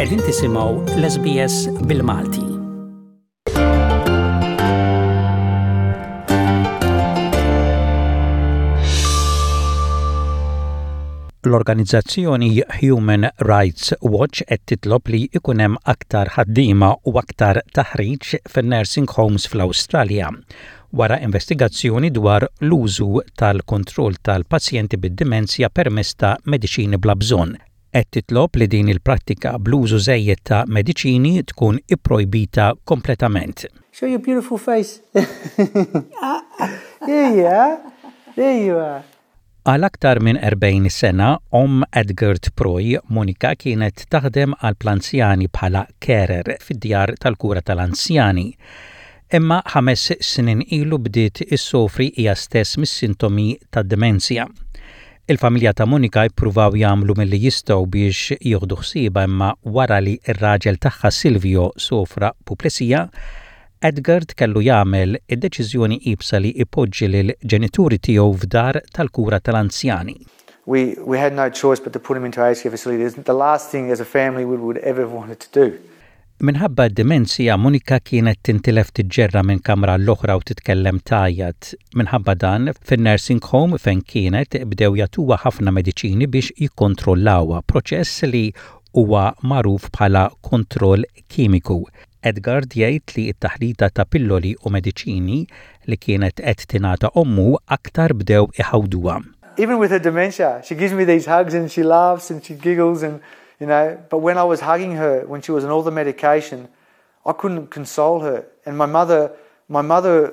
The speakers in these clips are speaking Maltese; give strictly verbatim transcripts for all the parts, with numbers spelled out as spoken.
Qegħdin tisimgħu l-SBS bil-Malti. L-organizzazzjoni Human Rights Watch qed titlob li ikun hemm aktar ħaddiema u aktar taħriġ fin-nursing homes fl-Awstralja wara investigazzjoni dwar l-użu tal-kontroll tal-pazjenti bid-dimensja permezz ta' mediċini bla bżonn. Qed titlob li din il-prattika bl-użu żejjed ta' mediċini tkun ipprojbita kompletament. Show your beautiful face. There you are. There you are. Għal aktar minn erbgħin sena, omm Edgard Proy, Monica, kienet taħdem għal l-anzjani bħala carer fid-djar tal-kura tal-anzjani. Imma ħames snin ilu bdiet issofri hija stess mis-sintomi tad-demenzja. Il-familja ta' Monica jippruvaw jagħmlu milli jistgħu biex jieħdu ħsiebha, imma wara li r-raġel tagħha Silvio sofra puplesija, Edgard kellu jagħmel id-deċiżjoni iebsa li ipoġġi lil ġenituri tiegħu f'dar tal-kura tal-anzjani. We, we had no choice but to put him into aged care facility. It's the last thing as a family we would ever have wanted to do. Minħabba d-demenzja, Monica kienet tintilef tiġġerra minn kamra l-oħra u titkellem tgħajjat. Minħabba dan, fin-nursing home fejn kienet bdew jagħtuha ħafna mediċini biex jikkontrollawha, proċess li huwa magħruf bħala kontroll kimiku. Edgard jgħid li t-taħlita ta' pilloli u mediċini li kienet qed tingħata ommu aktar bdew iħawduha. Even with her dementia, she gives me these hugs and she laughs and she giggles and, you know, but when I was hugging her, when she was on all the medication, I couldn't console her. And my mother, my mother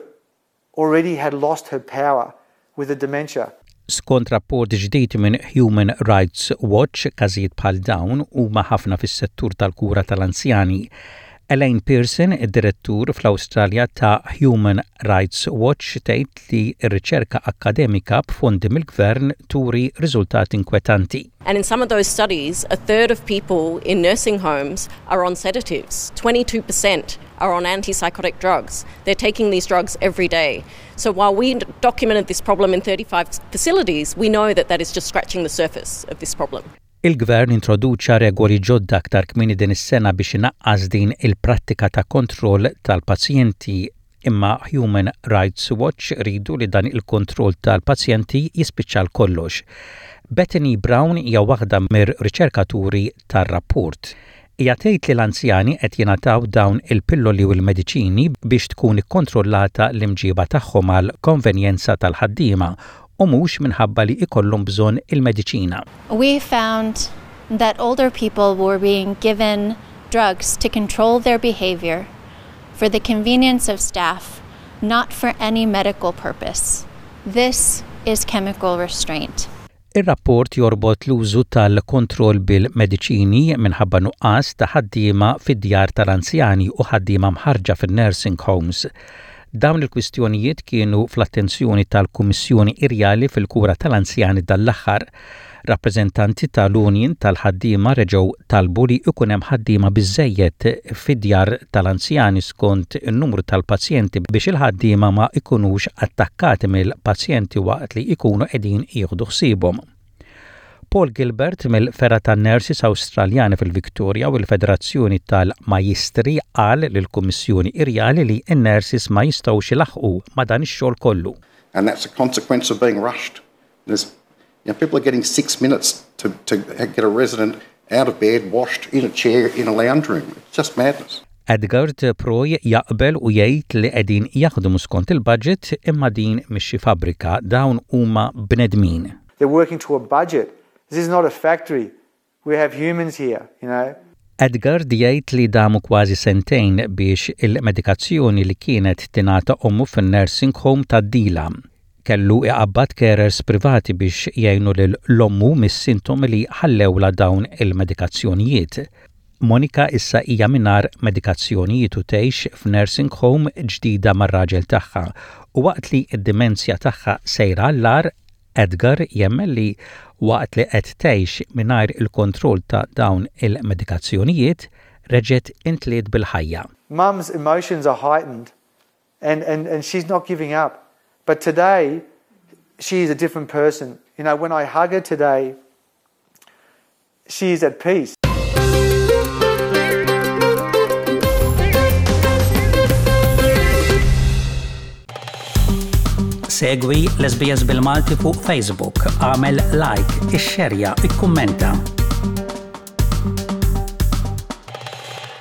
already had lost her power with the dementia. Skont rapport ġdid minn Human Rights Watch, każijiet bħal dawn huma ħafna fis-settur tal-kura tal-anzjani. Elaine Pearson, id-direttur fl-Awstralja ta' Human Rights Watch, tgħid li r-riċerka akkademika b'fondi mill-gvern turi riżultati inkwetanti. And in some of those studies, a third of people in nursing homes are on sedatives. twenty-two percent are on antipsychotic drugs. They're taking these drugs every day. So while we documented this problem in thirty-five facilities, we know that that is just scratching the surface of this problem. Il-gvern introduċa regoli ġodda aktar kmieni din is-sena biex inaqqas din il-prattika ta' kontroll tal-pazjenti, imma Human Rights Watch ridu li dan il-kontroll tal-pazjenti jispiċċa kollox. Bethany Brown hija waħda mir-riċerkaturi tar-rapport. Hija tgħid li l-anzjani qed jingħataw dawn il-pilloli u l-mediċini biex tkun ikkontrollata l-imġiba tagħhom għal konvenjenza tal-ħaddiema u mhux minħabba li ikollhom bżonn il-mediċina. We found that older people were being given drugs to control their behavior for the convenience of staff, not for any medical purpose. This is chemical restraint. Ir-rapport jorbot l-użu tal-kontroll bil-mediċini minħabba nuqqas ta' ħaddiema fid-djar tal-anzjani u ħaddiema mħarrġa fin-nursing homes. Dawn il-kwistjonijiet kienu fl-attenzjoni tal-Kummissjoni Irjali fil-kura tal-anzjani dal-aħħar. Rappreżentanti tal-Union tal-ħaddiema reġgħu talbu li ikun hemm ħaddiema biżejjed fid-djar tal-anzjani skont in-numru tal-pazjenti biex il-ħaddiema ma ikunux attakkati mill-pazjenti waqt li ikunu qegħdin jieħdu ħsiebhom. Paul Gilbert mill-Fergħa tan-Nurses Awstraljani fil-Victoria u l-Federazzjoni tal-Majistri qal lill-Kummissjoni Irjali li n-nurses ma jistgħux ilaħqu ma dan ix-xogħol kollu. And that's a consequence of being rushed. There's, you know, people are getting six minutes to, to get a resident out of bed, washed, in a chair, in a lounge room. It's just madness. Edgard Proy jaqbel u jgħid li qegħdin jaħdmu skont il-budget, imma din mhix xi fabbrika, dawn huma bnedmin. They're working to a budget. This is not a factory. We have humans here, you know. Edgard jgħid li damu kważi sentejn biex il-medikazzjoni li kienet tingħata ommu fin-nursing home tgħaddilha. Kellu iqabbad carers privati biex jgħinu lil ommu mis-sintomi li ħallewla dawn il-medikazzjonijiet. Monika issa hija mingħajr medikazzjonijiet u tgħix f'nursing home ġdida mar-raġel tagħha, u waqt li d-dimensja tagħha sejra għall-agħar, Edgar jemmen li waqt li qed tgħix mingħajr il-kontroll ta' dawn il-medikazzjonijiet reġgħet imtliet bil-ħajja. Mum's emotions are heightened and, and, and she's not giving up. But today, she is a different person. You know, when I hug her today, she is at peace. Segwi l-S B S bil-Malti fuq Facebook, agħmel like, ixxerja, ikkummenta.